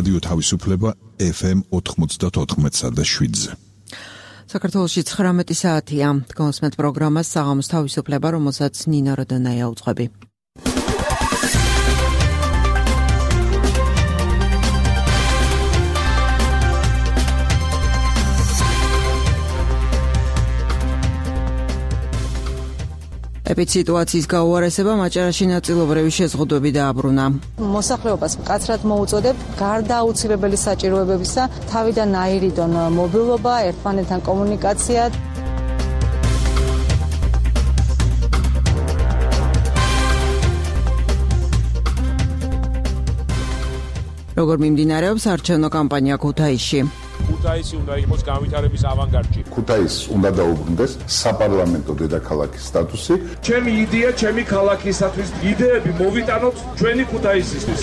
რადიო თავისუფლება FM 94.7-ზე. საქართველოში 19 საათია. გონსმეთ პროგრამას საღამოს თავისუფლება, რომელსაც ნინა როდონაია უძღვები. ეპიდემიის გაუარესება მაჭარაში ნაწილობრივი შეზღუდვები დააბრუნა. მოსახლეობას მკაცრად მოუწოდებ გარდა აუცილებელი საჭიროებებისა თავიდან აირიდონ მობილობა, ერთმანეთთან კომუნიკაცია. როგორ მიმდინარეობს არჩევნო კამპანია ქუთაისში? ქუთაისი უნდა იყოს განვითარების ავანგარდში. ქუთაისს უნდა დაუბრუნდეს საპარლამენტო დედაქალაქის სტატუსი. ჩემი იდეა, ჩემი ქალაქისათვის იდეები მოვიტანოთ ჩვენი ქუთაისისთვის.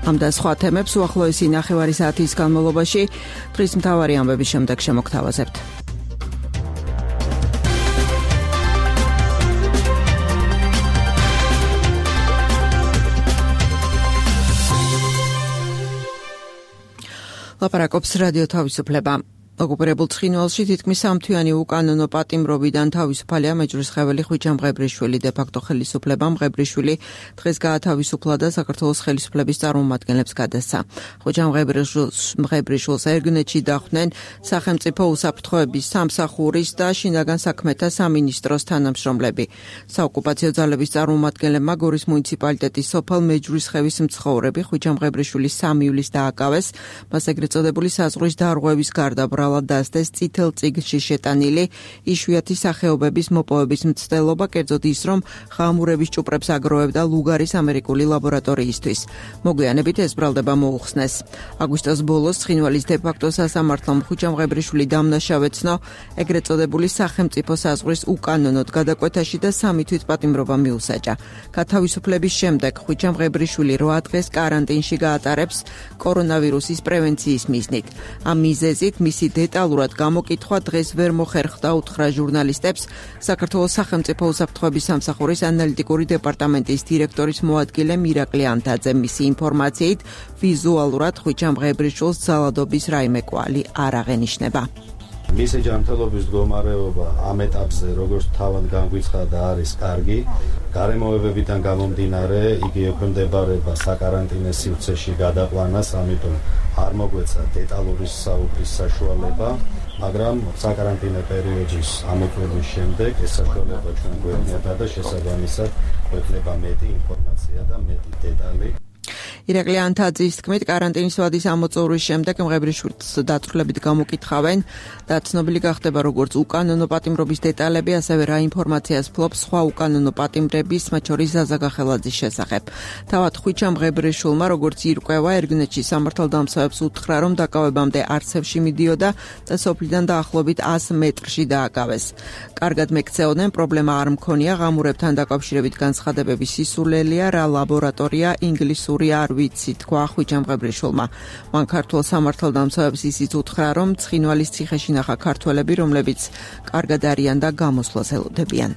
ამ და სხვა თემებს უახლოესი ნახევარი საათის განმავლობაში დღის მთავარი ამბების შემდეგ შემოგთავაზებთ. ლაპარაკობს რადიო თავისუფლება. ოკუპირებულ ცხინვალში თითქმის სამთვიანი უკანონო პატიმრობიდან თავისუფალია მეჯვრისხეველი ხვიჩა მღებრიშვილი. დე-ფაქტო ხელისუფლება მღებრიშვილი დღეს გაათავისუფლა და საქართველოს ხელისუფლების წარმომადგენლებს გადასცა. ხვიჩა მღებრიშვილს ერგნეთში დახვდნენ სახელმწიფო უსაფრთხოების სამსახურის და შინაგან საქმეთა სამინისტროს თანამშრომლები. საოკუპაციო ძალების წარმომადგენლებმა გორის მუნიციპალიტეტის სოფელ მეჯვრისხევის მცხოვრები ხვიჩა მღებრიშვილის 3 ივლისს დააკავეს. მას ეგრეთ წოდებული საზღვრის დარღვევის გარდა დასდეს წითელ წიგნში შეტანილი იშვიათი სახეობების მოპოვების მცდელობა, კერძოდ ის, რომ ხამურების ჭუპრებს აგროვებდა ლუგარის ამერიკული ლაბორატორიისთვის. მოგვიანებით ეს ბრალდება მოუხსნეს. აგვისტოს ბოლოს ცხინვალის დე-ფაქტო სასამართლომ ხვიჩა მღებრიშვილი დამნაშავეცნო ეგრეთ წოდებული სახელმწიფო საზღვრის უკანონოდ გადაკვეთაში და 3 თვით პატიმრობა მიუსაჯა. გათავისუფლების შემდეგ ხვიჩა მღებრიშვილი 8 დღეს კარანტინში გაატარებს კორონავირუსის პრევენციის მიზნით. ამ მიზეზით მისი დეტალურად გამოკითხვა დღეს ვერ მოხერხდა, უთხრა ჟურნალისტებს საქართველოს სახელმწიფო უსაფრთხოების სამსახურის ანალიტიკური დეპარტამენტის დირექტორის მოადგილე მირაკლი ანთაძე. მისი ინფორმაციით ვიზუალურად ხვიჩა მღებრიშვილს ძალადობის რაიმე კვალი არ აღენიშნება. მისი ჯანმრთელობის მდგომარეობა ამ ეტაპზე როგორც თავად განგვიცხადა არის კარგი. გარემოებებიდან გამომდინარე იგი ექვემდებარება საკარანტინო სივრცეში გადაყვანას, ამიტომ არ მოგვეცა დეტალური საუბრის საშუალება, მაგრამ საკარანტინო პერიოდის ამოწურვის შემდეგ ეს საშუალება ჩვენ გვექნება და შესაბამისად გვექნება მეტი ინფორმაცია და მეტი დეტალი. ირაკლი ანთაძის თქმით, კარანტინის ვადის ამოწურვის შემდეგ მღებრიშვილს დაწვრილებით გამოკითხავენ და ცნობილი გახდება როგორც უკანონო პატიმრობის დეტალები, ასევე რა ინფორმაციას ფლობს სხვა უკანონო პატიმრების, მათ შორის ზაზა გახელაძის შესახებ. თავად ხვიჩა მღებრიშვილმა, როგორც ირკვევა, ერგნეთში სამართალდამცავებს უთხრა, რომ დაკავებამდე არცევში მიდიოდა და სოფლიდან დაახლოებით 100 მეტრში დააკავეს. კარგად მეკცეოდნენ, პრობლემა არ მქონია, ღამურებთან დაკავშირებით განცხადებების სისულელია, რა ლაბორატორია, ინგლისური არ ვიცი, თქვა ხვიჩა მღებრიშვილმა. მან ქართულ სამართალდამცავებს ისიც უთხრა, რომ ცხინვალის ციხეში ნახა ქართველები, რომლებიც კარგად არიან და გამოსვლას ელოდებიან.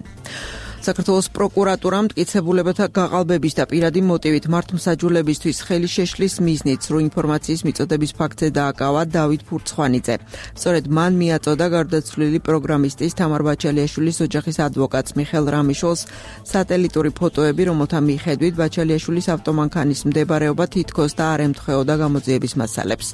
საქართველოს პროკურატურამ მტკიცებულებათა გაყალბების და პირადი მოტივით მართლმსაჯულებისთვის ხელი შეშლის მიზნით სრულ ინფორმაციის მიწოდების ფაქტზე დააკავა დავით ფურცხვანიძე. სწორედ მან მიაწოდა გარდაცვლილი პროგრამისტის თამარ ბაჩალიაშვილის ოჯახის ადვოკატს მიხელ რამიშვილს სატელიტური ფოტოები, რომელთა მიხედვით ბაჩალიაშვილის ავტომანქანის მდებარეობა თითქოს და არ ემთხვეოდა გამოძიების მასალებს.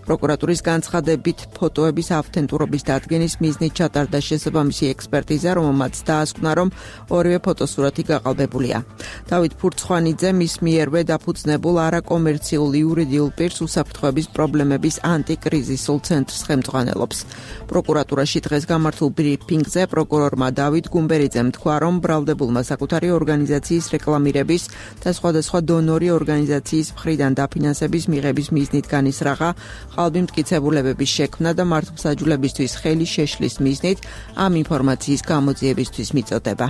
პროკურატურის განცხადებით ფოტოების ავთენტურობის დადგენის მიზნით ჩატარდა შესაბამისი ექსპერტიზა, რომელმაც დაასკვნა, რომ ორივე ფოტოსურათი გაყალბებულია. დავით ფურცხვანიძე მის მიერვე დაფუძნებულ არაკომერციულ იურიდიულ პირს უსაფრთხოების პრობლემების ანტიკრიზისულ ცენტრს ხელმძღვანელობს. პროკურატურაში დღეს გამართულ ბრიფინგზე პროკურორმა დავით გუმბერიძემ თქვა, რომ ბრალდებულმა საკუთარი ორგანიზაციის რეკლამირების და სხვადასხვა დონორი ორგანიზაციის მხრიდან დაფინანსების მიღების მიზნით განისრაღა ყალბი მტკიცებულებების შექმნა და მართლმსაჯულებისთვის ხელი შეშლის მიზნით ამ ინფორმაციის გამოძიებისთვის მიწოდება.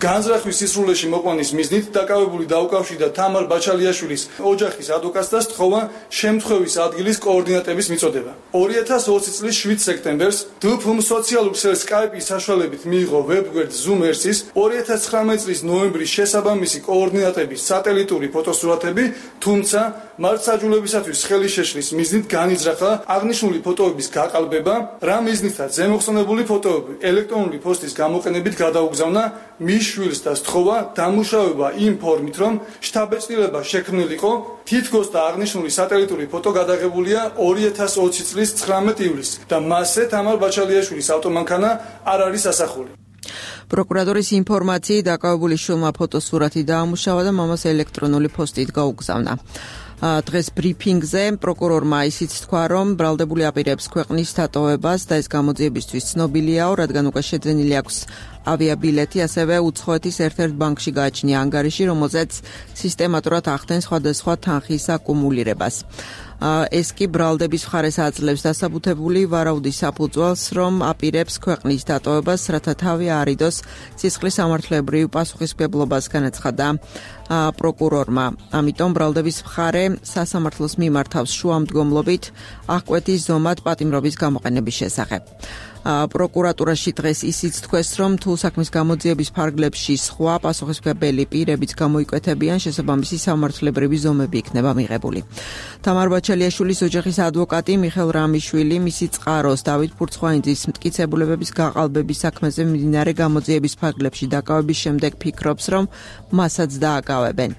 განზრახვის სისრულეში მოყვანის მიზნით დაკავებული დაუკავშირდა თამარ ბაჩალიაშვილის ოჯახის ადვოკატს და სთხოვა შემთხვევის ადგილის კოორდინატების მიწოდება. 2020 წლის 7 სექტემბერს დფმ სოციალურ ქსელს Skype-ის საშუალებით მიიღო ვებგვერდ Zoom-ers-ის 2019 წლის ნოემბრის შესაბამისი კოორდინატების სატელიტური ფოტოსურათები, თუმცა მართლმსაჯულებისათვის ხელი შეშლის მიზნით განიძრახა აღნიშნული ფოტოების გაყალბება, რა მიზნითაც ზემოხსენებული ფოტოები ელექტრონული პოსტის გამოყენებით გადაუგზავნა მის შვილს და სთხოვა დამუშავება იმ ფორმით, რომ შთაბეჭდილება შექმნილიყო, თითქოს და აღნიშნული სატელიტური ფოტო გადაღებულია 2020 წლის 19 ივლისს და მასზე თამარ ბაჩალიაშვილის ავტომანქანა არ არის ასახული. პროკურატურის ინფორმაციით დაკავებული შვილმა ფოტოსურათი დაამუშავა და მამას ელექტრონული პოსტით გაუგზავნა. დღეს ბრიფინგზე პროკურორმა ისიც თქვა, რომ ბრალდებული აპირებს ქვეყნის დატოვებას და ეს გამოძიებისთვის ცნობილიაო, რადგან უკვე შეძენილი აქვს ავიაბილეთი, ასევე უცხოეთის ერთ-ერთ ბანკში გააჩნია ანგარიში, რომელზეც სისტემატურად ახდენს სხვადასხვა თანხის აკუმულირებას. ეს კი ბრალდების მხარეს აძლევს დასაბუთებული ვარაუდის საფუძველს, რომ აპირებს ქვეყნის დატოვებას, რათა თავი არიდოს სისხლის სამართლებრივ პასუხისმგებლობას, განაცხადა პროკურორმა. ამიტომ ბრალდების მხარე სასამართლოს მიმართავს შუამდგომლობით აღკვეთის ზომად პატიმრობის გამოყენების შესახებ. პროკურატურაში დღეს ისიც თქვეს, რომ თუ საქმის გამოძიების ფარგლებში სხვა პასუხისმგებელი პირებიც გამოიკვეთებიან, შესაბამისი სამართლებრივი ზომები იქნება მიღებული. თამარ ბაჩალიაშვილის ოჯახის ადვოკატი მიხელ რამიშვილი მისი წყაროს დავით ფურცხვაინძის მტკიცებულებების გაყალბების საქმეზე მიმდინარე გამოძიების ფარგლებში დაკავების შემდეგ ფიქრობს, რომ მასაც დააკავებენ.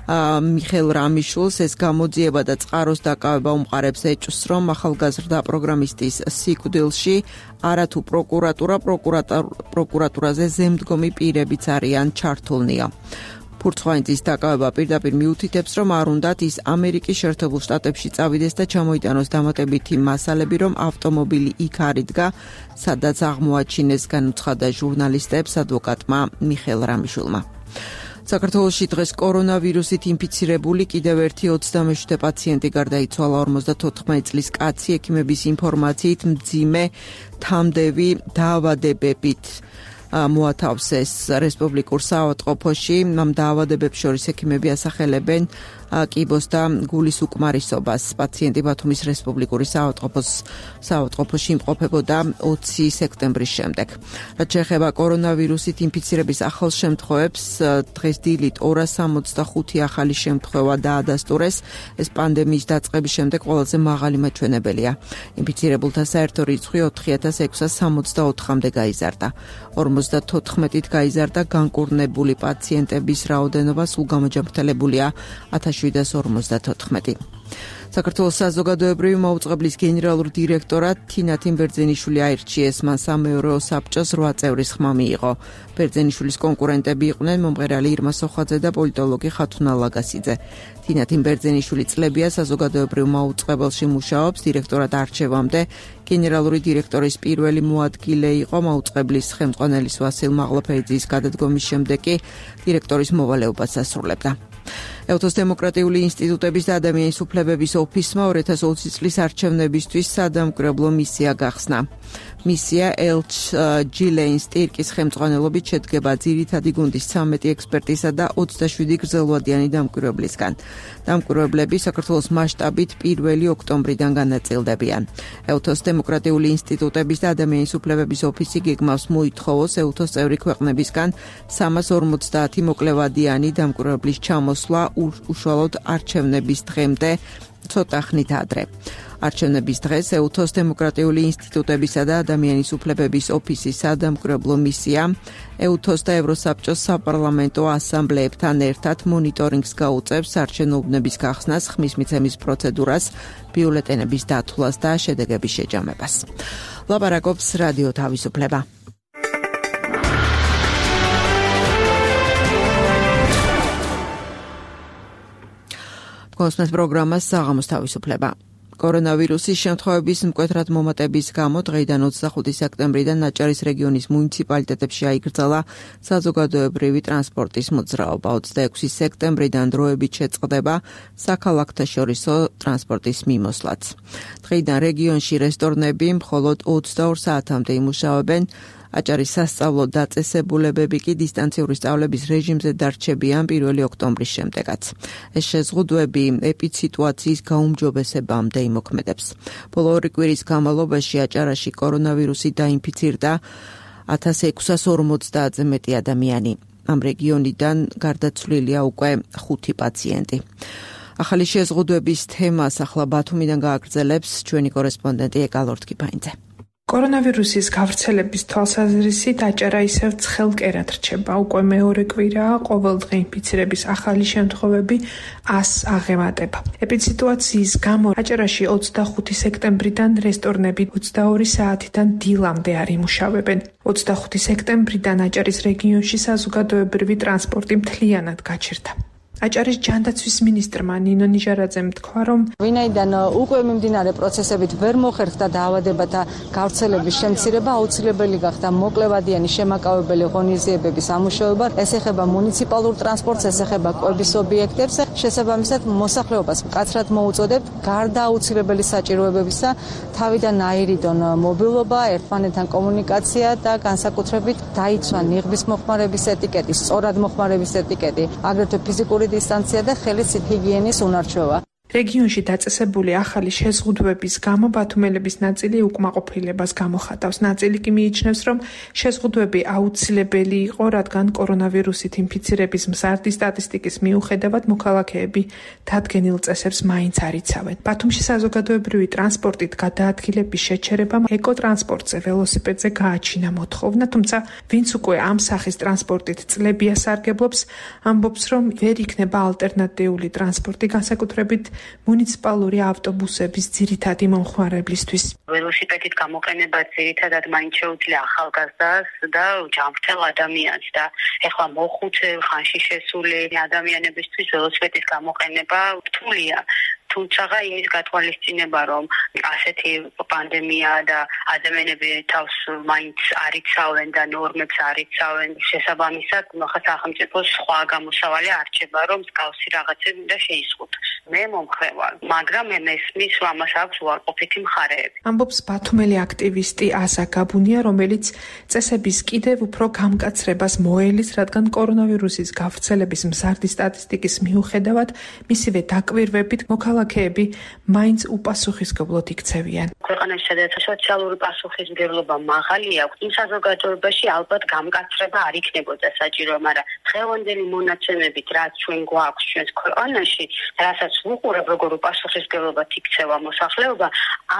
მიხელ რამიშვილს ეს გამოძიება და წყაროს დაკავება უმყარებს ეჭვს, რომ ახალგაზრდა პროგრამისტის სიკვდილში არათუ პროკურატურაზე ზემდგომი პირებიც არიან ჩართულნია. ფურცხვაინძის დაკავება პირდაპირ მიუთითებს, რომ არ უნდათ ის ამერიკის შეერთებულ შტატებში წავიდეს და ჩამოიტანოს დამატებითი მასალები, რომ ავტომობილი იქ არ იდგა, სადაც აღმოაჩინეს, განუცხადა ჟურნალისტებს ადვოკატმა მიხელ რამიშვილმა. საქართველოში დღეს კორონავირუსით ინფიცირებული კიდევ ერთი 27 პაციენტი გარდაიცვალა. 54 წლის კაცი ექიმების ინფორმაციით მძიმე თამდევი დაავადებებით მოათავს ეს რესპუბლიკურ საავადმყოფოში. ამ დაავადებებს შორის ექიმები ასახელებენ კიბოს და გულის უკმარისობას. პაციენტი ბათუმის რესპუბლიკური საავადმყოფოში იმყოფებოდა 20 სექტემბრის შემდეგ. რაც შეეხება კორონავირუსით ინფიცირების ახალ შემთხვევებს, დღეს დილით 265 ახალი შემთხვევა დაადასტურეს. ეს პანდემიის დაწყების შემდეგ ყველაზე მაღალი მაჩვენებელია. ინფიცირებულთა საერთო რიცხვი 4664-მდე გაიზარდა. 54-ით გაიზარდა განკურნებული პაციენტების რაოდენობა, სულ გამაჯამრთელებულია 1754. საქართველოს საზოგადოებრივი მაუწყებლის გენერალურ დირექტორად თინათინ ბერძენიშვილი აირჩიეს. მან სამეურვეო საბჭოს 8 წევრის ხმა მიიღო. ბერძენიშვილის კონკურენტები იყვნენ მომღერალი ირმა სოხაძე და პოლიტოლოგი ხათუნა ლაგასიძე. თინათინ ბერძენიშვილი წლებია საზოგადოებრივ მაუწყებელში მუშაობს. დირექტორად არჩევამდე გენერალური დირექტორის პირველი მოადგილე იყო. მაუწყებლის ხელმძღვანელის ვასილ მაღლაფეიძის გადადგომის შემდეგ კი დირექტორის მოვალეობას ასრულებდა. ელთოს დემოკრატიული ინსტიტუტების და ადამიანის უფლებების ოფისმა 2020 წლის არჩევნებისთვის სადამკვირვებლო მისია გახსნა. მისია ელჩ ჯილეინ სტირკის ხელმძღვანელობით შედგება ძირითადი გუნდის 13 ექსპერტისა და 27 გრძელვადიანი დამკვირვებლისგან. დამკვირვებლები საქართველოს მასშტაბით 1 ოქტომბრიდან განაწილდებიან. ელთოს დემოკრატიული ინსტიტუტების და ადამიანის უფლებების ოფისი გეგმავს მოითხოვოს ელთოს წევრი ქვეყნებისგან 350 მოკლევადიანი დამკვირვებლის ჩამოსვლა უშუალოდ არჩევნების დღემდე ცოტა ხნით ადრე. არჩევნების დღეს ელთოს დემოკრატიული ინსტიტუტებისა და ადამიანის უფლებების ოფისის სადამკვირვებლო მისია ელთოს და ევროსაბჭოს საპარლამენტო ასამბლეებთან ერთად მონიტორინგს გაუწევს არჩევნო უბნების გახსნას, ხმის მიცემის პროცედურას, ბიულეტენების დათვლას და შედეგების შეჯამებას. ლაპარაკობს რადიო თავისუფლება. კოსმოს პროგრამას საღამოს თავისუფლება. კორონავირუსის შემთხვევების მკვეთრად მომატების გამო დღეიდან 25 სექტემბრიდან ნაჭარის რეგიონის მუნიციპალიტეტებში აიგრძალა საზოგადოებრივი ტრანსპორტის მოძრაობა. 26 სექტემბრიდან დროებით შეწყდება საქალაქთაშორისო ტრანსპორტის მიმოსვლაც. დღეიდან რეგიონში რესტორნები მხოლოდ 22 საათამდე იმუშავებენ. აჭარის სასწავლო დაწესებულებები კი დისტანციური სწავლების რეჟიმზე დარჩებიან 1 ოქტომბრის შემდეგაც. ეს შეზღუდვები ეპიდსიტუაციის გაუმჯობესებამდე იმოქმედებს. ბოლო 2 კვირის განმავლობაში აჭარაში კორონავირუსით დაინფიცირდა 1650-ზე მეტი ადამიანი. ამ რეგიონიდან გარდაცვლილია უკვე 5 პაციენტი. ახალი შეზღუდვების თემას ახლა ბათუმიდან გააგრძელებს ჩვენი კორესპონდენტი ეკალორთკიფაინძე. კორონავირუსის გავრცელების თვალსაზრისით აჭარა ისევ ცხელკერად რჩება. უკვე მეორე კვირაა ყოველდღე ინფიცირების ახალი შემთხვევები 100 აღემატება. ეპიდსიტუაციის გამო აჭარაში 25 სექტემბრიდან რესტორნები 22 საათიდან დილამდე არ იმუშავებენ. 25 სექტემბრიდან აჭარის რეგიონში საზოგადოებრივი ტრანსპორტი მთლიანად გაჩერდა. აჭარის ჯანდაცვის მინისტრმა ნინო ნიჟარაძემ თქვა, რომ ვინაიდან უკვე მიმდინარე პროცესებით ვერ მოხერხდა დაავადებათა გავრცელების შემცირება, აუცილებელი გახდა მოკლევადიანი შემაკავებელი ღონისძიებების ამუშავება. ეს ეხება მუნიციპალურ ტრანსპორტს, ეს ეხება კვების ობიექტებს. შესაბამისად, მოსახლეობას მკაცრად მოუწოდებთ გარდა აუცილებელი საჭიროებებისა თავიდან აირიდონ მობილობა, ერთმანეთთან კომუნიკაცია და განსაკუთრებით დაიცვა ნიღბის მოხმარების ეტიკეტი, სწორად მოხმარების ეტიკეტი, აგრეთვე ფიზიკური დისტანცია და ხელის ჰიგიენის უნარჩვევა. რეგიონში დაწესებული ახალი შეზღუდვების გამო ბათუმელების ნაწილი უკმაყოფილებას გამოხატავს. ნაწილი კი მიიჩნევს, რომ შეზღუდვები აუცილებელი იყო, რადგან კორონავირუსით ინფიცირების მზარდი სტატისტიკის მიუხედავად მოქალაქეები დადგენილ წესებს მაინც არ იცავენ. ბათუმში საზოგადოებრივი ტრანსპორტით გადაადგილების შეჩერებამ ეკოტრანსპორტზე, ველოსიპედზე გააჩინა მოთხოვნა, თუმცა ვინც უკვე ამ სახის ტრანსპორტით წლებია სარგებლობს, ამბობს, რომ ვერ იქნება ალტერნატიული ტრანსპორტი, განსაკუთრებით მუნიციპალური ავტობუსების ძირითადი მომხმარებლისთვის. ველოსიპედით გამოყენება ძირითადად მაინც შეუძლია ახალგაზრდას და ჯანმრთელ ადამიანს და ეხლა მოხუცე ხანში შესული ადამიანებისთვის ველოსიპედის გამოყენება რთულია. თუმცა ის გათვალისწინება, რომ ასეთი პანდემია და ადამიანები თავს მაინც არ იცავენ და ნორმებს არ იცავენ, შესაბამისად, ხა სახელმწიფოს სხვა გამოსავალი არჩება, რომ მსგავსი რაღაცები უნდა შეიზღუდოს. მე მომხრევარ, მაგრამ მე მესმის, რომ ამას აქვს უარყოფითი მხარეები. ამბობს ბათუმელი აქტივისტი აზა გაბუნია, რომელიც წესების კიდევ უფრო გამკაცრებას მოელის, რადგან კორონავირუსის გავრცელების მზარდი სტატისტიკის მიუხედავად, მისივე დაკვირვებით მოქალაქეები მაინც უპასუხისმგებლოდ იქცევიან. ქვეყანაში სადაც სოციალური პასუხისმგებლობა მაღალი აქვს, იმ საზოგადოებაში ალბათ გამკაცრება არ იქნებოდა საჭირო, მაგრამ დღევანდელი მონაცემებით, რაც ჩვენ გვაქვს ჩვენს ქვეყანაში, რასაც ვუყურებ, როგორ უპასუხისმგებლობად იქცევა მოსახლეობა,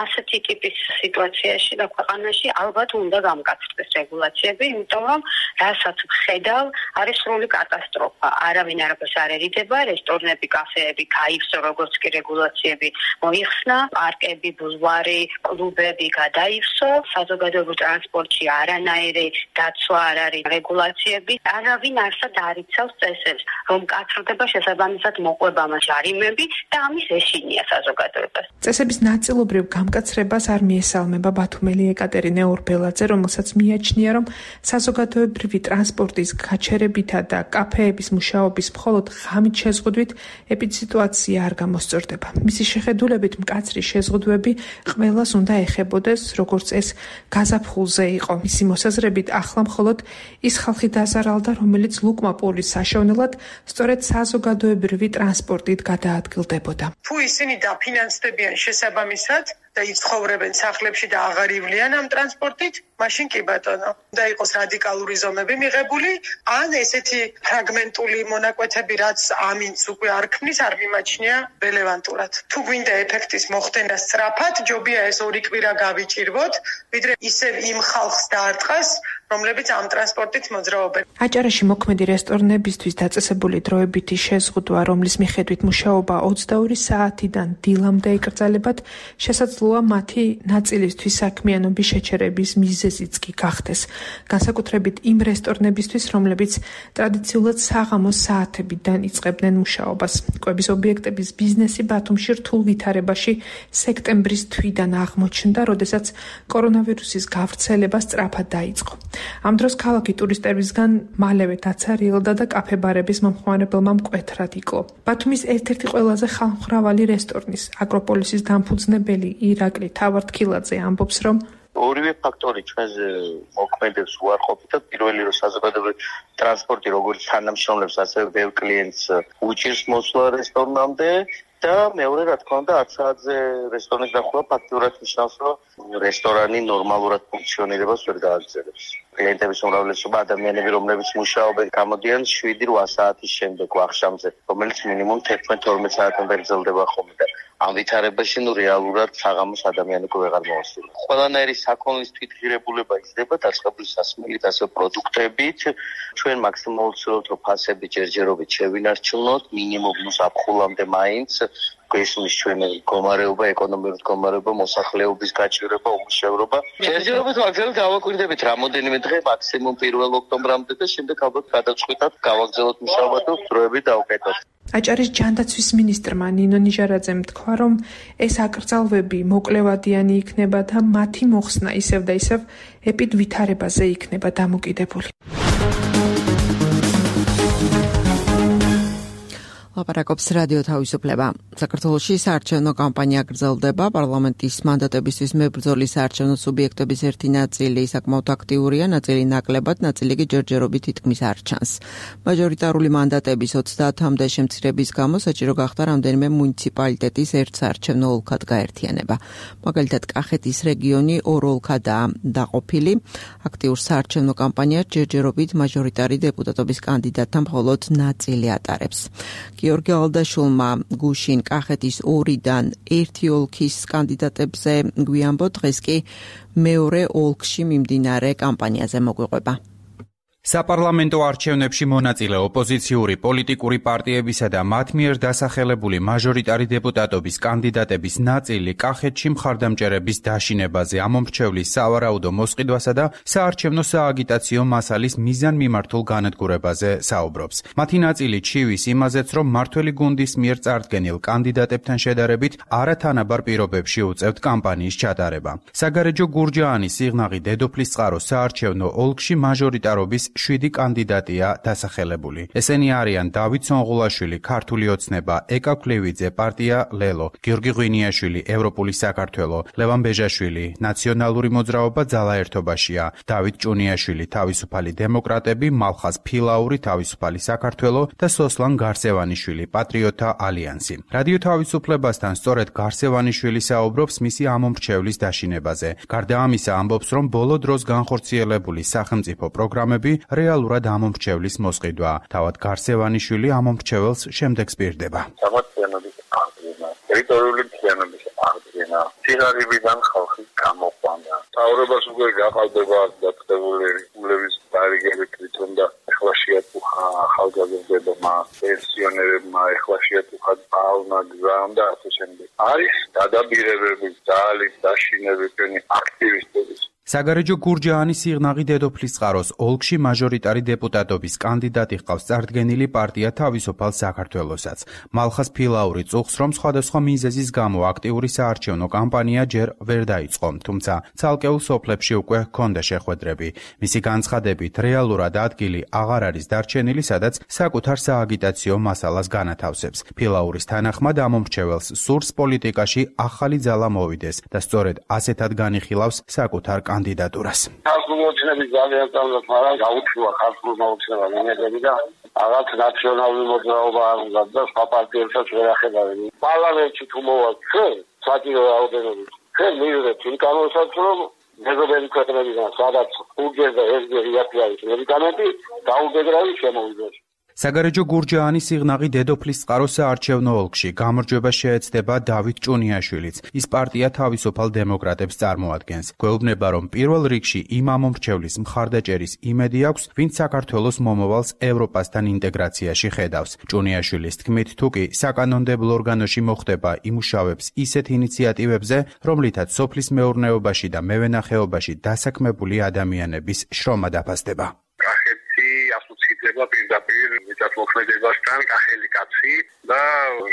ასეთი ტიპის სიტუაციაში და ქვეყანაში ალბათ უნდა გამკაცრდეს რეგულაციები, იმიტომ რომ რასაც ვხედავ, არის სრული კატასტროფა. არავინ არაფერს არ ერიდება, რესტორნები, კაფეები გაივსო, როგორც კი რეგულაციები მოიხსნა, პარკები, ბულვარი, კლუბები გადაივსო, საზოგადოებრივ ტრანსპორტში არანაირი დაცვა არ არის, რეგულაციები, არავინ არსად არ იცავს წესებს, რომ კაცრდება შესაბამისად მოყვება ჯარიმები და ამის ეშინია საზოგადოებას. წესების ნაწილობრივ გამკაცრებას არ მიესალმება ბათუმელი ეკატერინე ორბელაძე, რომელსაც მიაჩნია, რომ საზოგადოებრივი ტრანსპორტის გაჩერებითა და კაფეების მუშაობის მხოლოდ ღამით შეზღუდვით ეპიდსიტუაცია არ გამოსწორდება. მისი შეხედულებით მკაცრი შეზღუდვები ყველას უნდა ეხებოდეს, როგორც ეს გაზაფხულზე იყო. მისი მოსაზრებით ახლა მხოლოდ ის ხალხი დაზარალდა, რომელიც ლუკმაპურის საშოვნელად სწორედ საზოგადოებრივი ტრანსპორტით გადაადგილდებოდა. თუ ისინი დაფინანსდებიან შესაბამისად და იცხოვრებენ სახლებში და აღარ ივლიან ამ ტრანსპორტით, მაშინ კი ბატონო, უნდა იყოს რადიკალური ზომები მიღებული, ან ესეთი ფრაგმენტული მონაკვეთები, რაც ამინც უკვე არ ქმნის, არ მიმაჩნია რელევანტურად. თუ გვინდა ეფექტის მოხდენა სწრაფად, ჯობია ეს 2 კვირა გავიჭირვოთ, ვიდრე ისევ იმ ხალხს დაარტყას, რომლებიც ამ ტრანსპორტით მოძრაობენ. აჭარაში მოქმედი რესტორნებისთვის დაწესებული დროებითი შეზღუდვა, რომლის მიხედვით მუშაობა 22 საათიდან დილამდე იკრძალებათ, შესაძლოა მათი ნაწილისთვის საქმიანობის შეჩერების მიზეზიც კი გახდეს. განსაკუთრებით იმ რესტორნებისთვის, რომლებიც ტრადიციულად საღამოს საათებიდან იწყებდნენ მუშაობას. კვების ობიექტების ბიზნესი ბათუმში რთულ ვითარებაში სექტემბრის თვიდან აღმოჩნდა, როდესაც კორონავირუსის გავრცელება სწრაფად დაიწყო. ამ დროს ქალაქი ტურისტებისგან მალევე დაცარიელდა და კაფე-ბარების მომხმარებელმა მკვეთრად იკლო. ბათუმის ერთ-ერთი ყველაზე ხალხმრავალი რესტორნის, აკროპოლისის დამფუძნებელი ირაკლი თავართქილაძე ამბობს, რომ ორივე ფაქტორი ჩვენზე მოქმედებს უარყოფით და პირველი რომ საზოგადოებრივი ტრანსპორტი როგორც თანამშრომლებს ასევე ბევრ კლიენტს უჭირს მოსვლა რესტორნამდე და მეორე რა თქმა უნდა 10 საათზე რესტორნის დახურვა ფაქტურად ნიშნავს რომ რესტორანი ნორმალურად ფუნქციონირებას ვერ გააგრძელებს. კლიენტების უმრავლესობა ადამიანები რომლებიც მუშაობენ გამოდიან 7-8 საათის შემდეგ ვახშამზე რომელიც მინიმუმ 11-12 საათამდე გრძელდება ხოლმე და ამ ვითარებაში რეალურად საღამოს ადამიანი უკვე ვეღარ მოასწრებს. ყველანაირი საქონლის თვითღირებულება იზრდება დაწყებული სასმელით ასევე პროდუქტებით. ჩვენ მაქსიმალურად ვცდილობთ რომ ფასები ჯერჯერობით შევინარჩუნოთ მინიმუმ ზაფხულამდე მაინც გვესმის ჩვენი მდგომარეობა, ეკონომიკური მდგომარეობა, მოსახლეობის გაჭირვება, უმუშევრობა. ჯერჯერობით მაგალითად გავაკვირდებით რამოდენიმე დღე მაქსიმუმ 1 ოქტომბრამდე და შემდეგ ალბათ გადაწყვიტათ გავაგრძელოთ მუშაობა თუ დროებით დავუკეთოთ. აჭარის ჯანდაცვის მინისტრმა ნინო ნიჟარაძემ თქვა, რომ ეს აკრძალვები მოკლევადიანი იქნება და მათი მოხსნა ისევ და ისევ ეპიდ ვითარებაზე იქნება დამოკიდებული. ლაპარაკობს რადიო თავისუფლება. საქართველოში საარჩევნო კამპანია გრძელდება. პარლამენტის მანდატებისთვის მებრძოლი საარჩევნო სუბიექტების ერთი ნაწილი საკმაოდ აქტიურია, ნაწილი ნაკლებად, ნაწილი კი ჯერჯერობით თითქმის არ ჩანს. მაჟორიტარული მანდატების 30-მდე შემცირების გამო საჭირო გახდა რამდენიმე მუნიციპალიტეტის ერთ საარჩევნო ოლქად გაერთიანება. მაგალითად, კახეთის რეგიონი ორ ოლქადაა დაყოფილი. აქტიურ საარჩევნო კამპანიას ჯერჯერობით მაჟორიტარი დეპუტატობის კანდიდატთა მხოლოდ ნაწილი ატარებს. გიორგი ალდაშულმა გუშინ კახეთის 2-დან 1 ოლქის კანდიდატებზე გვიანბო, დღეს კი მეორე ოლქში მიმდინარე კამპანიაზე მოგვიყვება. საპარლამენტო არჩევნებში მონაწილე ოპოზიციური პოლიტიკური პარტიებისა და მათ მიერ დასახელებული მაჟორიტარი დეპუტატობის კანდიდატების ნაწილი კახეთში მხარდამჭერების დაშინებაზე, ამომრჩევლის სავარაუდო მოსყიდვასა და საარჩევნო სააგიტაციო მასალის მიზანმიმართულ განადგურებაზე საუბრობს. მათი ნაწილი ჩივის იმაზეც, რომ მართველი გუნდის მიერ წარდგენილ კანდიდატებთან შედარებით არათანაბარ პირობებში უწევთ კამპანიის ჩატარება. საგარეჯო გურჯაანის სიღნაღი დედოფლისწყაროს საარჩევნო ოლქში მაჟორიტარობის 7 კანდიდატია დასახელებული. ესენი არიან დავით სონღულაშვილი, ქართული ოცნება, ეკა ქლევიძე, პარტია ლელო, გიორგი ღვინიაშვილი, ევროპული საქართველო, ლევან ბეჟაშვილი, ნაციონალური მოძრაობა ძალა ერთობაშია, დავით ჭუნიაშვილი, თავისუფალი დემოკრატები, მალხაზ ფილაური, თავისუფალი საქართველო და სოსლან გარსევანიშვილი, პატრიოტთა ალიანსი. რადიო თავისუფლებასთან სწორედ გარსევანიშვილი საუბრობს მისი ამომრჩევლის დაშინებაზე. გარდა ამისა ამბობს, რომ ბოლო დროს განხორციელებული სახელმწიფო პროგრამები რეალურად ამომრჩევლის მოსყიდვა. თავად გარსევანიშვილი ამომრჩეველს შემდეგს პირდება. სამართლიანობის აღდგენა, ტერიტორიული მთლიანობის აღდგენა, სიღარიბიდან ხალხის გამოყვანა. საუბრობას უკვე გაყალბება დაწესებული რეგულების დარიგები თვითონ და ეხლა შეატუხა ახალგაზრდებმა, პენსიონერებმა, ეხლა შეატუხა ბალნა გზამ და ასე შემდეგ. არის დადაბირებები, ძალის დაშინები ჩვენი აქტივისტების. საგარეჯო გურჯაანის სიღნაღი დედოფლისწყაროს ოლქში მაჟორიტარი დეპუტატობის კანდიდატი ჰყავს წარდგენილი პარტია თავისუფალ საქართველოსაც. მალხაზ ფილაური წუხს, რომ სხვადასხვა მიზეზის გამო აქტიური საარჩევნო კამპანია ჯერ ვერ დაიწყო, თუმცა ცალკეულ სოფლებში უკვე ჰქონდა შეხვედრები. მისი განცხადებით, რეალურად ადგილი აღარ არის დარჩენილი, სადაც საკუთარ სააგიტაციო მასალას განათავსებს. ფილაურის თანახმად ამომრჩეველს სურს პოლიტიკაში ახალი ძალა მოვიდეს და სწორედ ასეთად განიხილავს საკუთარ კანდიდატურას. ქართული ოცნების ძალიან სწავლობ, მაგრამ გაუჩნდა ქართული ოცნება მინერები და რაღაც ნაციონალური მოძრაობა არ უნდა და სხვა პარტიებსაც ვერ ახებავენ. პარლამენტში თუ მოვალ ჩვენ საჭირო რაოდენობით ჩვენ მივიღებთ იმ კანონსაც, რომ მეზობელი ქვეყნებიდან სადაც 5 და 1 არის მედიკამენტი დაუბეგრავი შემოვიდეს. საგარეჯო გურჯაანის სიღნაღი დედოფლისწყაროს საარჩევნო ოლქში გამარჯვება შეეცდება დავით ჭუნიაშვილიც. ის პარტია თავისუფალ დემოკრატებს წარმოადგენს. გვეუბნება, რომ პირველ რიგში იმ ამომრჩევლის მხარდაჭერის იმედი აქვს, ვინც საქართველოს მომავალს ევროპასთან ინტეგრაციაში ხედავს. ჭუნიაშვილის თქმით, თუკი საკანონმდებლო ორგანოში მოხდება, იმუშავებს ისეთ ინიციატივებზე, რომლითაც სოფლის მეურნეობაში და მევენახეობაში დასაქმებული ადამიანების შრომა დაფასდება. პირდაპირ მიწათმოქმედებასთან კახელი კაცი და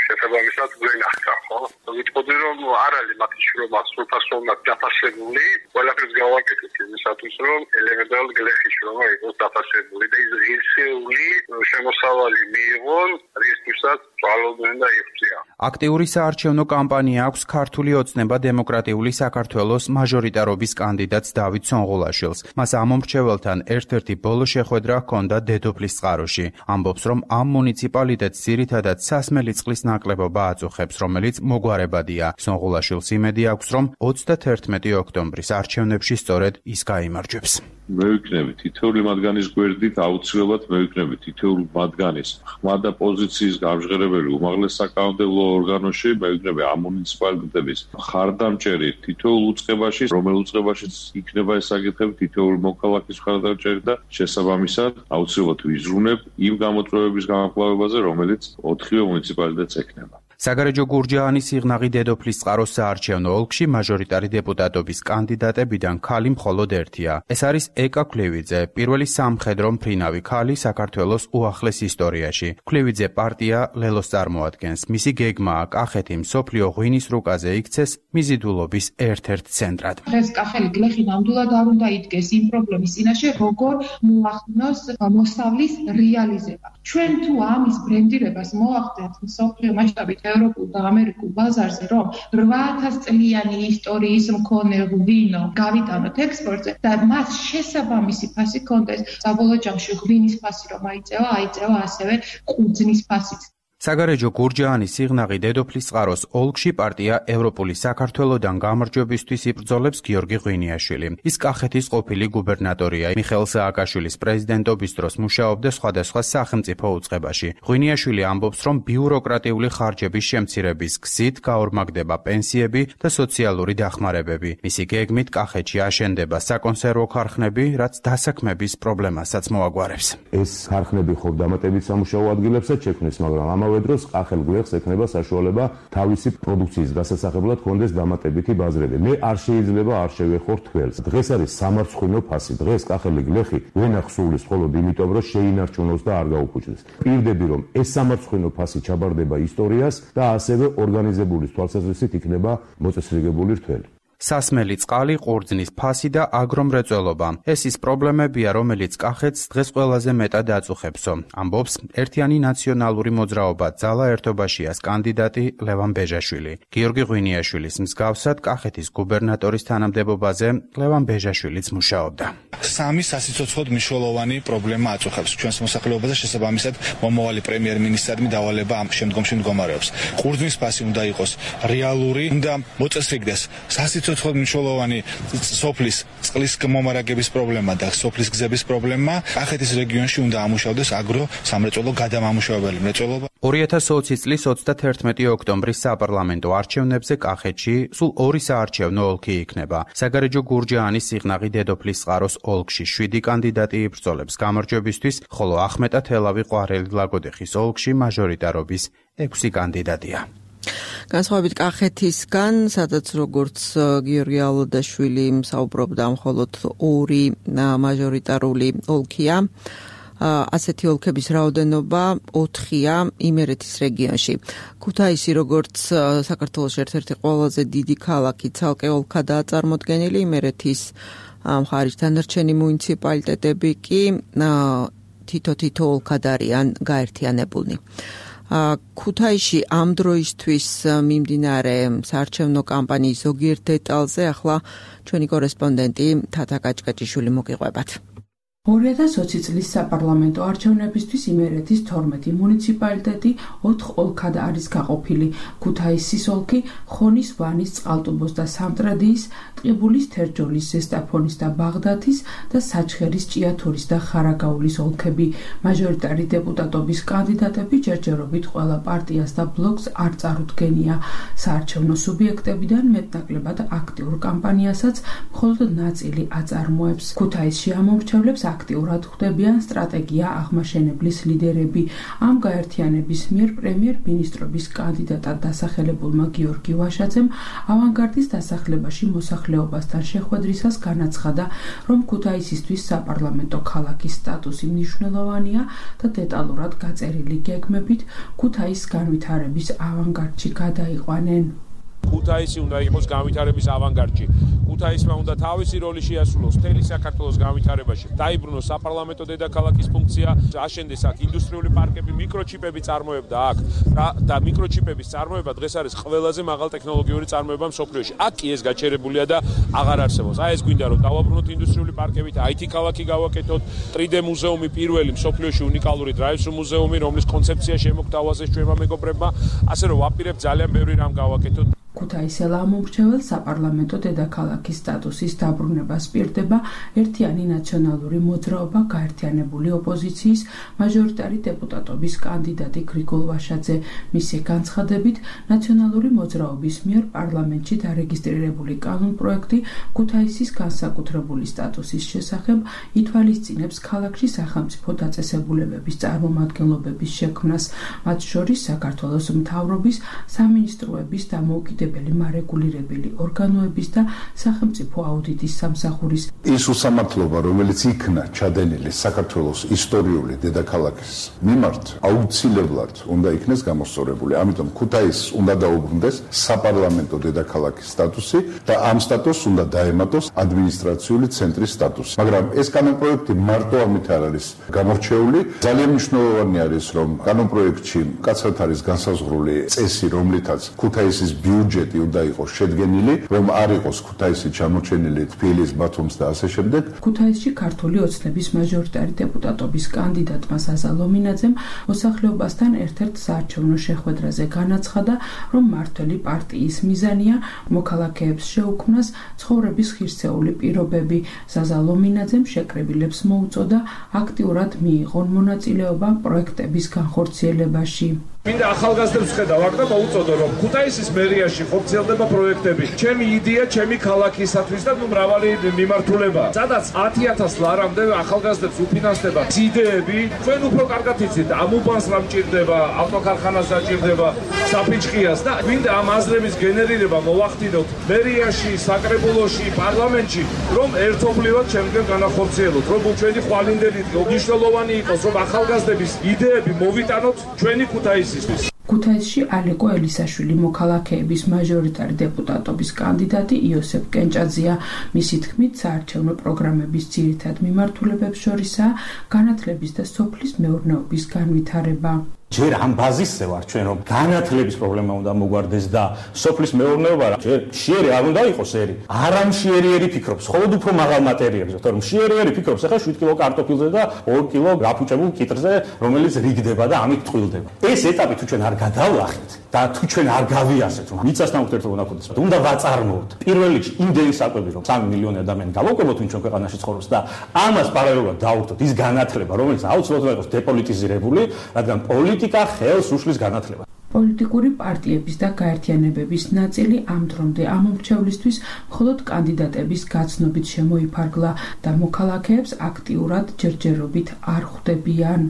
შესაბამისად გვენახა, ხო? ვიტყოდი, რომ არ არის მათი შრომა სრულფასოვნად დაფასებული, ყველაფერს გავაკეთეთ იმისათვის, რომ ელემენტარულ გლეხის შრომა იყოს დაფასებული და ის ღირსეული შემოსავალი მიიღონ, რისთვისაც ძალობდნენ და იღწია. აქტიური საარჩევნო კამპანია აქვს ქართული ოცნება დემოკრატიული საქართველოს მაჟორიტარობის კანდიდატს დავით სონღულაშვილს. მას ამ მომრჩეველთან ერთ-ერთი ბოლო შეხვედრა ჰქონდა დედოფლის წყაროში. ამბობს, რომ ამ მუნიციპალიტეტს ძირითადად სასმელი წყლის ნაკლებობა აწუხებს, რომელიც მოგვარებადია. სონღულაშვილს იმედი აქვს, რომ 31 ოქტომბრის არჩევნებში სწორედ ის გაიმარჯვებს. მე ვიქნები თითოეული მათგანის გვერდით, აუცილებლად მე ვიქნები თითოეული მათგანის ხმა და პოზიციის გამჟღერებელი უმაღლეს საკანონმდებლო ორგანოში, მე ვიქნები ამ მუნიციპალიტეტების მხარდამჭერი თითოეულ უწყებაში, რომელ უწყებაშიც იქნება ეს საკითხები, თითოეული მოქალაქის მხარდამჭერი და შესაბამისად აუცილებლად ვიზრუნებ იმ გამოწვევების გამკლავებაზე, რომელიც 4-ვე მუნიციპალიტეტს ექნება. საგარეჯო გურჯაანის სიღნაღი დედოფლის წყაროს საარჩევნო ოლქში მაჟორიტარი დეპუტატობის კანდიდატებიდან ქალი მხოლოდ ერთია. ეს არის ეკა ქლევიძე, პირველი სამხედრო მფრინავი ქალი საქართველოს უახლეს ისტორიაში. ქლევიძე პარტია ლელოს წარმოადგენს. მისი გეგმაა კახეთი მსოფლიო ღვინის რუკაზე იქცეს მიზიდულობის ერთ-ერთ ცენტრად. დღეს კახელი გლეხი ნამდვილად არ უნდა იდგეს იმ პრობლემის წინაშე, როგორ მოახდინოს მოსავლის რეალიზება. ჩვენ თუ ამის ბრენდირებას მოახდენთ მსოფლიო მასშტაბით ევროპულ და ამერიკულ ბაზარზე, რომ 8000 წლიანი ისტორიის მქონე ღვინო გავიტანოთ ექსპორტზე და მას შესაბამისი ფასი ჰქონდეს, საბოლოო ჯამში ღვინის ფასი რომ აიწევა ასევე ყურძნის ფასიც. საგარეჯო გურჯაანის სიღნაღი დედოფლის წყაროს ოლქში პარტია ევროპული საქართველოდან გამარჯვებისთვის იბრძოლებს გიორგი ღვინიაშვილი. ის კახეთის ყოფილი გუბერნატორია. მიხეილ სააკაშვილის პრეზიდენტობის დროს მუშაობდა სხვადასხვა სახელმწიფო უწყებაში. ღვინიაშვილი ამბობს, რომ ბიუროკრატიული ხარჯების შემცირების გზით გაორმაგდება პენსიები და სოციალური დახმარებები. მისი გეგმით კახეთში აშენდება საკონსერვო ქარხნები, რაც დასაქმების პრობლემასაც მოაგვარებს. ეს ქარხნები ხო დამატებით სამუშაო ადგილებსაც შექმნის, მაგრამ ამავე დროს კახელ გლეხს ექნება საშუალება თავისი პროდუქციის გასასახებლად ჰქონდეს დამატებითი ბაზრები. მე არ შეიძლება არ შევეხო თქველს. დღეს არის სამარცხვინო ფასი. დღეს კახელი გლეხი ვერ ახსოვლის მხოლოდ იმიტომ, რომ შეინარჩუნოს და არ გაუფუჭდეს. პირდები, რომ ეს სამარცხვინო ფასი ჩაბარდება ისტორიას და ასევე ორგანიზებული თვალსაზრისით იქნება მოწესრიგებული რთველი. სასმელი წყალი, ყურძნის ფასი და აგრომრეწველობა. ეს ის პრობლემებია, რომელიც კახეთს დღეს ყველაზე მეტად აწუხებსო. ამბობს ერთიანი ნაციონალური მოძრაობა ძალა ერთობაშიას კანდიდატი ლევან ბეჟაშვილი. გიორგი ღვინიაშვილის მსგავსად კახეთის გუბერნატორის თანამდებობაზე ლევან ბეჟაშვილიც მუშაობდა. სამი სასიცოცხლოდ მნიშვნელოვანი პრობლემა აწუხებს ჩვენს მოსახლეობაზე, შესაბამისად მომავალი პრემიერ-მინისტრადმი დავალება ამ შემდგომში მდგომარეობს. ყურძნის ფასი უნდა იყოს რეალური, უნდა მოწესრიგდეს სიცოცხლოდ მნიშვნელოვანი სოფლის წყლის მომარაგების პრობლემა და სოფლის გზების პრობლემა. კახეთის რეგიონში უნდა ამუშავდეს აგრო-სამრეწველო გადამამუშავებელი მრეწველობა. 2020 წლის 31 ოქტომბრის საპარლამენტო არჩევნებზე კახეთში სულ 2 საარჩევნო ოლქი იქნება. საგარეჯო გურჯაანის სიღნაღი დედოფლის წყაროს ოლქში 7 კანდიდატი იბრძოლებს გამარჯვებისთვის, ხოლო ახმეტა თელავი ყვარელი ლაგოდეხის ოლქში მაჟორიტარობის 6 კანდიდატია. განსხვავებით კახეთისგან, სადაც როგორც გიორგი ალოდაშვილი საუბრობდა, მხოლოდ 2 მაჟორიტარული ოლქია. ასეთი ოლქების რაოდენობა 4-ია იმერეთის რეგიონში. ქუთაისი, როგორც საქართველოს ერთ-ერთი ყველაზე დიდი ქალაქი, ცალკე ოლქადაა წარმოდგენილი. იმერეთის მხარის დანარჩენი მუნიციპალიტეტები კი თითო ოლქად არიან გაერთიანებულნი. ქუთაისში ამ დროისთვის მიმდინარე საარჩევნო კამპანიის ზოგიერთ დეტალზე ახლა ჩვენი კორესპონდენტი თათა კაჭკაჭიშვილი მოგიყვებათ. 2020 წლის საპარლამენტო არჩევნებისთვის იმერეთის 12 მუნიციპალიტეტი 4 ოლქად არის გაყოფილი. ქუთაისის ოლქი, ხონის, ვანის, წყალტუბოს და სამტრედიის, ტყიბულის, თერჯოლის, ზესტაფონის და ბაღდათის და საჩხერის, ჭიათურის და ხარაგაულის ოლქები. მაჟორიტარი დეპუტატობის კანდიდატები ჯერჯერობით ყველა პარტიას და ბლოკს არ წარუდგენია. საარჩევნო სუბიექტებიდან მეტნაკლებად აქტიურ კამპანიასაც მხოლოდ ნაწილი აწარმოებს. ქუთაისში ამომრჩევლებს აქტიურად ხვდებიან სტრატეგია აღმაშენებლის ლიდერები. ამ გაერთიანების მიერ პრემიერ-მინისტრობის კანდიდატად დასახელებულმა გიორგი ვაშაძემ ავანგარდის დასახლებაში მოსახლეობასთან შეხვედრისას განაცხადა, რომ ქუთაისისთვის საპარლამენტო ქალაქის სტატუსი მნიშვნელოვანია და დეტალურად გაწერილი გეგმებით ქუთაისის განვითარების ავანგარდში გადაიყვანენ. ქუთაისი უნდა იყოს განვითარების ავანგარდში. ქუთაისმა უნდა თავისი როლი შეასრულოს მთელი საქართველოს განვითარებაში. დაიბრუნოს საპარლამენტო დედაქალაქის ფუნქცია, აშენდეს აქ ინდუსტრიული პარკები, მიკროჩიპები წარმოებდა აქ და მიკროჩიპების წარმოება დღეს არის ყველაზე მაღალ ტექნოლოგიური წარმოება მსოფლიოში. აქ კი ეს გაჩერებულია და აღარ არსებობს. ეს გვინდა რომ დავაბრუნოთ ინდუსტრიული პარკებით, IT ქალაქი გავაკეთოთ, 3D მუზეუმი პირველი მსოფლიოში უნიკალური drive-thru მუზეუმი, რომლის კონცეფცია შემოგთავაზეს ჩვენმა მეგობრებმა, ასე რომ ვაპირებთ ძალიან ბევრი რამ გავაკეთოთ. ქუთაისელა ამომრჩეველ საპარლამენტო დედაქალაქის სტატუსის დაბრუნება სპირდება ერთიანი ნაციონალური მოძრაობა გაერთიანებული ოპოზიციის მაჟორიტარი დეპუტატობის კანდიდატი გრიგოლ ვაშაძე. მისი განცხადებით, ნაციონალური მოძრაობის მიერ პარლამენტში დარეგისტრირებული კანონპროექტი ქუთაისის განსაკუთრებული სტატუსის შესახებ ითვალისწინებს ქალაქში სახელმწიფო დაწესებულებების წარმომადგენლობების შექმნას, მათ შორის საქართველოს მთავრობის, სამინისტროების და მარეგულირებელი ორგანოების და სახელმწიფო აუდიტის სამსახურის. ის უსამართლობა, რომელიც იქნა ჩადენილი საქართველოს ისტორიული დედაქალაქის მიმართ, აუცილებლად უნდა იქნეს გამოსწორებული. ამიტომ ქუთაისს უნდა დაუბრუნდეს საპარლამენტო დედაქალაქის სტატუსი და ამ სტატუსს უნდა დაემატოს ადმინისტრაციული ცენტრის სტატუსი. მაგრამ ეს კანონპროექტი მარტო ამით არ არის გამორჩეული. ძალიან მნიშვნელოვანი არის, რომ კანონპროექტში მკაცრად არის განსაზღვრული წესი, რომლითაც ქუთაისის ბიუჯეტი უნდა იყოს შედგენილი, რომ არ იყოს ქუთაისი ჩამოჩენილი თბილისის, ბათუმის და ასე შემდეგ. ქუთაისში ქართული ოცნების მაჟორიტარი დეპუტატობის კანდიდატმა საზა ლომინაძემ მოსახლეობასთან ერთ-ერთ საარჩევნო შეხვედრაზე განაცხადა, რომ მმართველი პარტიის მიზანია მოქალაქეებს შეუქმნას ცხოვრების ღირსეული პირობები. საზა ლომინაძემ შეკრებილებს მოუწოდა აქტიურად მიიღონ მონაწილეობა პროექტების განხორციელებაში. მინდა ახალგაზრდებს ხედავ აქ და მოუწოდო რომ ქუთაისის მერიაში ხორციელდება პროექტები. ჩემი იდეა, ჩემი ქალაქისათვის და მრავალი მიმართულება. სადაც 10,000 ლარამდე ახალგაზრდებს უფინანსდება იდეები. ჩვენ უფრო კარგად იცით, ამ უბანს რა მჭირდება, ავტოქარხანას დაჭირდება, საფიჭყიას და მინდა ამ აზრების გენერირება მოვახდინოთ მერიაში, საკრებულოში, პარლამენტში, რომ ერთობლივად შემდგომ განახორციელოთ, რომ ჩვენი ხვალინდელი მნიშვნელოვანი იყოს, რომ ახალგაზრდების იდეები მოვიტანოთ ჩვენი ქუთაისის. ქუთაისში ალეკო ელისაშვილი მოქალაქეების მაჟორიტარი დეპუტატობის კანდიდატი იოსებ კენჭაძეა. მისი თქმით, საარჩევნო პროგრამების ძირითად მიმართულებებს შორისაა განათლების და სოფლის მეურნეობის განვითარება. ჯერ ამ ბაზისზე ვარ ჩვენ რომ განათლების პრობლემა უნდა მოგვარდეს და სოფლის მეურნეობა ჯერ მშიერი არ უნდა იყოს ერი. არა მშიერი ფიქრობს, ხოლოდ უფრო მაღალ მატერიებზე, თორემ მშიერი ფიქრობს ახლა 7 კილო კარტოფილზე და 2 კილო გაფუჭებულ კიტრზე, რომელიც რიგდება და ამით ტყვილდება. ეს ეტაპი თუ ჩვენ არ გადავლახეთ და თუ ჩვენ არ გავიასეთ, რომ მიწასთან ურთიერთობა უნდა გქონდეს, უნდა ვაწარმოოთ. პირველ რიგში იმდენი საკვები, რომ 3 მილიონი ადამიანი გავაკლებოთ ჩვენ ქვეყანაში ცხოვრობს და ამას პარალელურად დავურთოთ ის განათლება, რომელიც აუცილებლად იყოს დეპოლიტიზირებული, რადგან პოლიტიკა ხელს უშლის განათლებას. პოლიტიკური პარტიების და გაერთიანებების ნაწილი ამ დრომდე ამომრჩევლისთვის მხოლოდ კანდიდატების გაცნობით შემოიფარგლა და მოქალაქეებს აქტიურად ჯერჯერობით არ ხვდებიან.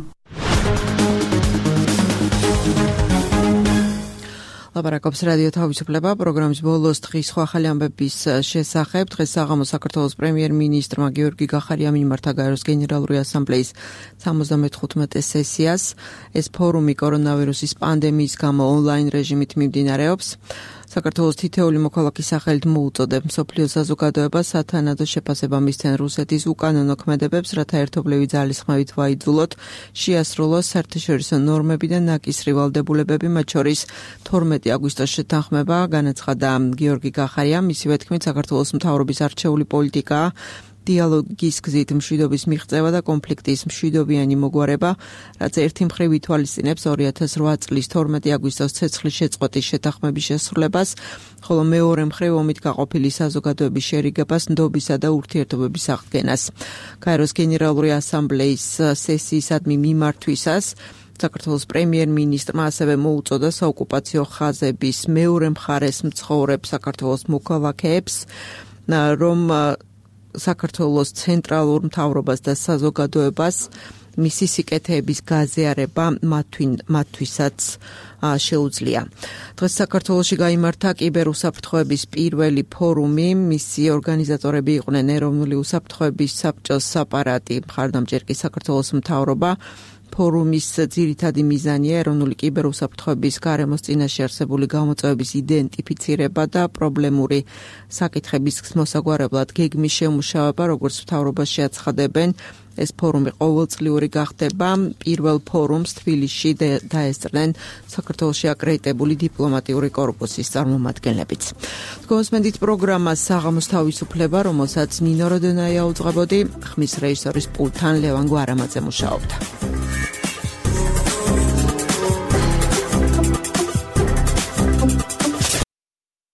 ლაპარაკობს რადიო თავისუფლება პროგრამის ბოლოს დღის სხვა ახალი ამბების შესახებ. დღეს საღამოს საქართველოს პრემიერ-მინისტრმა გიორგი გახარიამ მიმართა გაეროს გენერალური ასამბლეის 75 სესიას. ეს ფორუმი კორონავირუსის პანდემიის გამო ონლაინ რეჟიმით მიმდინარეობს. საქართველოს თითეული მოქალაქის სახელით მოუწოდებს მსოფლიო საზოგადოებას სათანადო შეფასება მისცენ რუსეთის უკანონო ქმედებებს, რათა ერთობლივი ძალისხმევით ვაიძულოთ შეასრულოს საერთაშორისო ნორმები და ნაკისრი ვალდებულებები, მათ შორის 12 აგვისტოს შეთანხმება, განაცხადა გიორგი გახარიამ. მისივე თქმით, საქართველოს მთავრობის არჩეული პოლიტიკაა დიალოგის გზით მშვიდობის მიღწევა და კონფლიქტის მშვიდობიანი მოგვარება, რაც ერთი მხრივ ითვალისწინებს 2008 წლის 12 აგვისტოს ცეცხლის შეწყვეტის შეთანხმების შესრულებას, ხოლო მეორე მხრივ ომით გაყოფილი საზოგადოების შერიგებას, ნდობისა და ურთიერთობების აღდგენას. გაეროს გენერალური ასამბლეის სესიისადმი მიმართვისას საქართველოს პრემიერ-მინისტრმა ასევე მოუწოდა საოკუპაციო ხაზების მეორე მხარეს მცხოვრებ საქართველოს მოქალაქეებს, რომ საქართველოს ცენტრალურ მთავრობას და საზოგადოებას მისი სიკეთეების გაზიარება მათთვისაც შეუძლია. დღეს საქართველოში გაიმართა კიბერუსაფრთხოების პირველი ფორუმი. მისი ორგანიზატორები იყვნენ ეროვნული უსაფრთხოების საბჭოს საპარატი, მხარდამჭერ კი საქართველოს მთავრობა. ფორუმის ძირითადი მიზანია ეროვნული კიბერუსაფრთხოების გარემოს წინაშე არსებული გამოწვევების იდენტიფიცირება და პრობლემური საკითხების მოსაგვარებლად გეგმის შემუშავება, როგორც მთავრობაში აცხადებენ. ეს ფორუმი ყოველწლიური გახდება. პირველ ფორუმს თბილისში დაესწრნენ საქართველოში აკრედიტებული დიპლომატიური კორპუსის წარმომადგენლებიც. გოსმენდით პროგრამას საღამოს თავისუფლება, რომელსაც ნინო როდონაია უძღვებოდი, ხმის რეჟისორის პულტთან ლევან გვარამაძე მუშაობდა.